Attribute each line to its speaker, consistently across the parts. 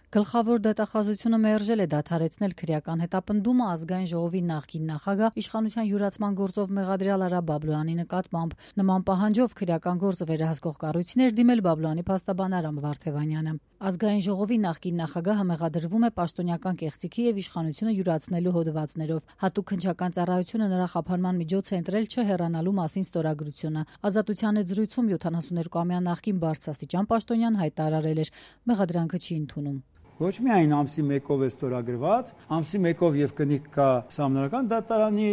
Speaker 1: Գլխավոր դատախազությունը մերժել է դադարեցնել քրեական հետապնդումը ազգային ժողովի նախկին նախագահ իշխանության յուրացման գործով մեղադրյալ Արա Բաբլոյանի նկատմամբ։ Նման պահանջով քրեական գործը վերահսկող կառույցին էր դիմել Բաբլոյանի փաստաբան Արամ Վարդևանյանը։ Ազգային ժողովի նախկին նախագահը մեղադրվում է պաշտոնյական կեղծիքի եւ իշխանությունը յուրացնելու հոդվածներով։ Հատուկ քննչական ծառայությունը նրա խափանման միջոց է ընտրել չհեռանալու մասին ստորագրությունը։ Ազատության հետ զրույցում 72-ամյա նախկին բարձրաստիճան պաշտոնյան հայտարարել էր՝ մեղադրանքը չի ընդունում։
Speaker 2: Ոչ միայն ամսի 1-ով է ստորագրված, ամսի 1-ով եւ կնիկ կա Սահմանադրական դատարանի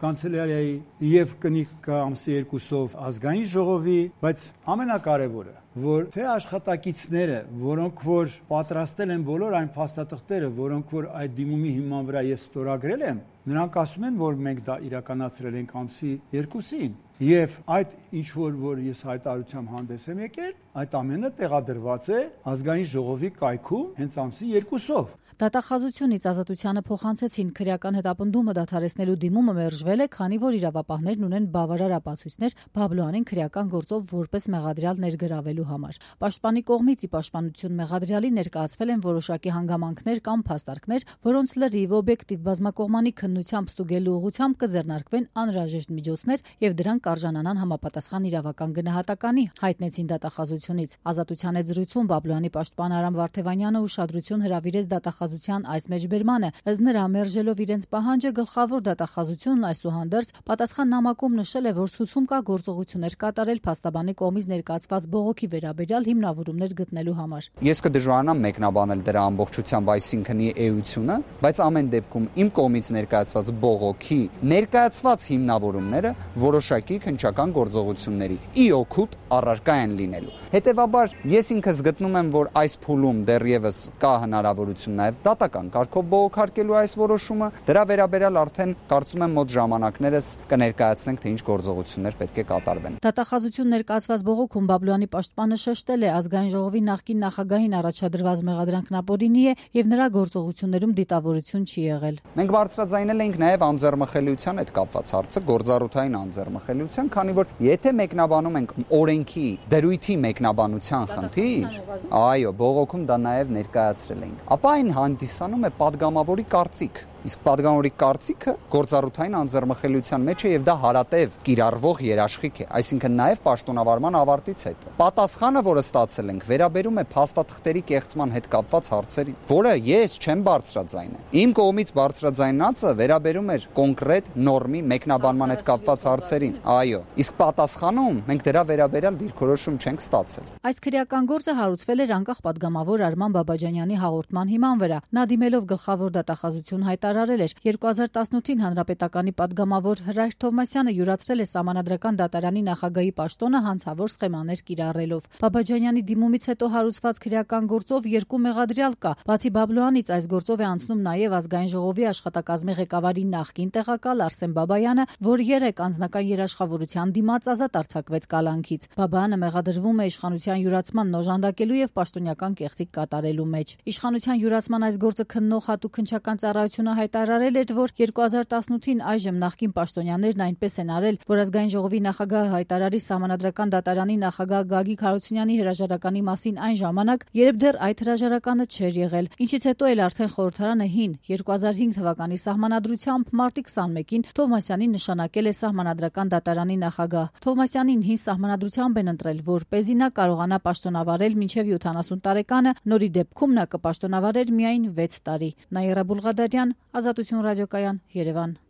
Speaker 2: կանցելարիայի եւ կնիկ կա ամսի 2-ով ազգային ժողովի, բայց ամենակարևորը, որ թե աշխատակիցները, որոնք որ պատրաստել են բոլոր այն փաստաթղթերը, որոնք որ այդ դիմումի հիման վրա ես ստորագրել եմ, նրանք ասում են, որ մենք դա իրականացրել ենք ամսի 2-ին, եւ այդ ինչ որ ես հայտարարությամբ հանդես եմ եկել, այդ ամենը տեղադրված է ազգային ժողովի կայքում հենց ամսի 2-ով։
Speaker 1: Դատախազությունից Ազատությանը փոխանցեցին քրեական հետապնդումը դադարեցնելու դիմումը մերժվել է, քանի որ իրավապահներն ունեն բավարար ապացույցներ Բաբլոյանին քրեական գործով որպես մեղադրյալ ներգրավելու համար։ Պաշտպանի կողմից ի պաշտպանություն մեղադրյալի ներկայացվել են որոշակի հանգամանքներ կամ փաստարկներ, որոնց լրիվ օբյեկտիվ բազմակողմանի քննությամբ ստուգելու ուղղությամբ կձեռնարկվեն անհրաժեշտ միջոցներ եւ դրանք կարժանանան համապատասխան իրավական գնահատականի, հայտնեցին դատախազությունից։ Ազատության հետ զրույցում Բաբլոյանի պաշտպան Արամ Վարդևանյանը ուշադրություն հրավիրեց դատախազության այս մեջբերմանը, ըստ նրա մերժելով իրենց պահանջը գլխավոր դատախազությունն այսուհանդերձ պատասխան նամակում նշել է, որ ցուցում կա գործողություններ կատարել փաստաբանի կողմից ներկայացված բողոքի վերաբերյալ հիմնավորումներ գտնելու համար։
Speaker 3: Ես կդժվարանամ մեկնաբանել դրա ամբողջությամբ, այսինքն էությունը, բայց ամեն դեպքում իմ կողմից ներկայացված բողոքի ներկայացված հիմնավորումները որոշակի քննչական գործողությունների ի օգուտ առարկա են լինելու։ Հետևաբար ես ինքս գտնում եմ, որ այս փուլում դեռևս կա հնարավորություն նաև դատական կարգով բողոքարկելու այս որոշումը, դրա վերաբերյալ արդեն կարծում եմ մոտ ժամանակներս կներկայացնենք, թե ինչ գործողություններ պետք է կատարվեն։
Speaker 1: Դատախազություն ներկայացված բողոքում Բաբլոյանի պաշտպանը շեշտել է ազգային ժողովի նախկին նախագահին առաջադրված մեղադրանքն ապօրինի է եւ նրա գործողություններում դիտավորություն չի եղել։
Speaker 3: Մենք բարձրաձայնել ենք նաև անձեռմխելիության հետ կապված հարցը, գործառութային անձեռմխելիության, քանի որ եթե մեկնաբանում ենք օրենքի դրույթի մեկնաբանության խնդիր, այո, բողոքում դա նաև ներկայացրել ենք, ապա այն հանդիսանում է падգամավորի կարծիք։ Իսկ падգամավորի կարծիքը գործառութային անձեռմխելիության մեջ է եւ դա հարատև կիրառվող երաշխիք է, այսինքն նաեւ պաշտոնավարման ավարտից հետո։ Պատասխանը, որը ստացել ենք, վերաբերում է փաստաթղթերի կեղծման հետ կապված հարցերին, որը ես չեմ բարձրաձայնել։ Իմ կողմից բարձրաձայնածը վերաբերում էր կոնկրետ նորմի մեկնաբանման հետ կապված հարցերին։ Այո, իսկ պատասխանում մենք դրա վերաբերյալ դիրքորոշում չենք ստացել։
Speaker 1: Այս քրեական գործը հարուցվել էր անկախ падգամավոր Արման Բաբաջանյանի հաղորդման հիման վրա։ Նա դիմելով գլխավոր դատախազություն հայտարարել էր 2018-ին հանրապետականի падգամավոր Հրայր Թովմասյանը յուրացրել է Սահմանադրական դատարանի նախագահի պաշտոնը հանցավոր սխեմաներ կիրառելով։ Բաբաջանյանի դիմումից հետո հարուցված քրեական գործով երկու մեղադրյալ կա։ Բացի Բաբլոյանից այս գործով է անցնում նաև ազգային ժողովի աշխատակազմի ղեկավարի նախկին տեղակալ Արսեն Բաբայանը, որ 3 անձնական երաշխավորության դիմաց ազատ արձակվեց կալանքից։ Բաբայանը մեղադրվում է իշխանության յուրացման նոժանդակելու եւ պաշտոնյական կեղծիք կատարելու մեջ։ Իշխանության յուրացման այս գործը քննող հատուկ քննչական ծառայությունը հայտարարել էր, որ 2018-ին այժմ նախկին պաշտոնյաներն այնպես են արել, որ ազգային ժողովի նախագահը հայտարարի Սահմանադրական դատարանի նախագահ Գագիկ Հարությունյանի հրաժարականի մասին այն ժամանակ, երբ դեռ այդ հրաժարականը չէր եղել, ինչից հետո էլ արդեն խորհրդարանը հին 2005 թվականի սահմանադրությամբ մարտի 21-ին Թովմասյանին նշանակել է Սահմանադրական դատարանի նախագահ։ Թովմասյանին հին սահմանադրությամբ են ընտրել, որպեսզի նա կարողանա պաշտոնավարել մինչև 70 տարեկանը, նորի դեպքում նա կպաշտոնավարեր միայն 6 տարի։ Նաիրա Բուլղադարյան, Ազատություն ռադիոկայան, Երևան։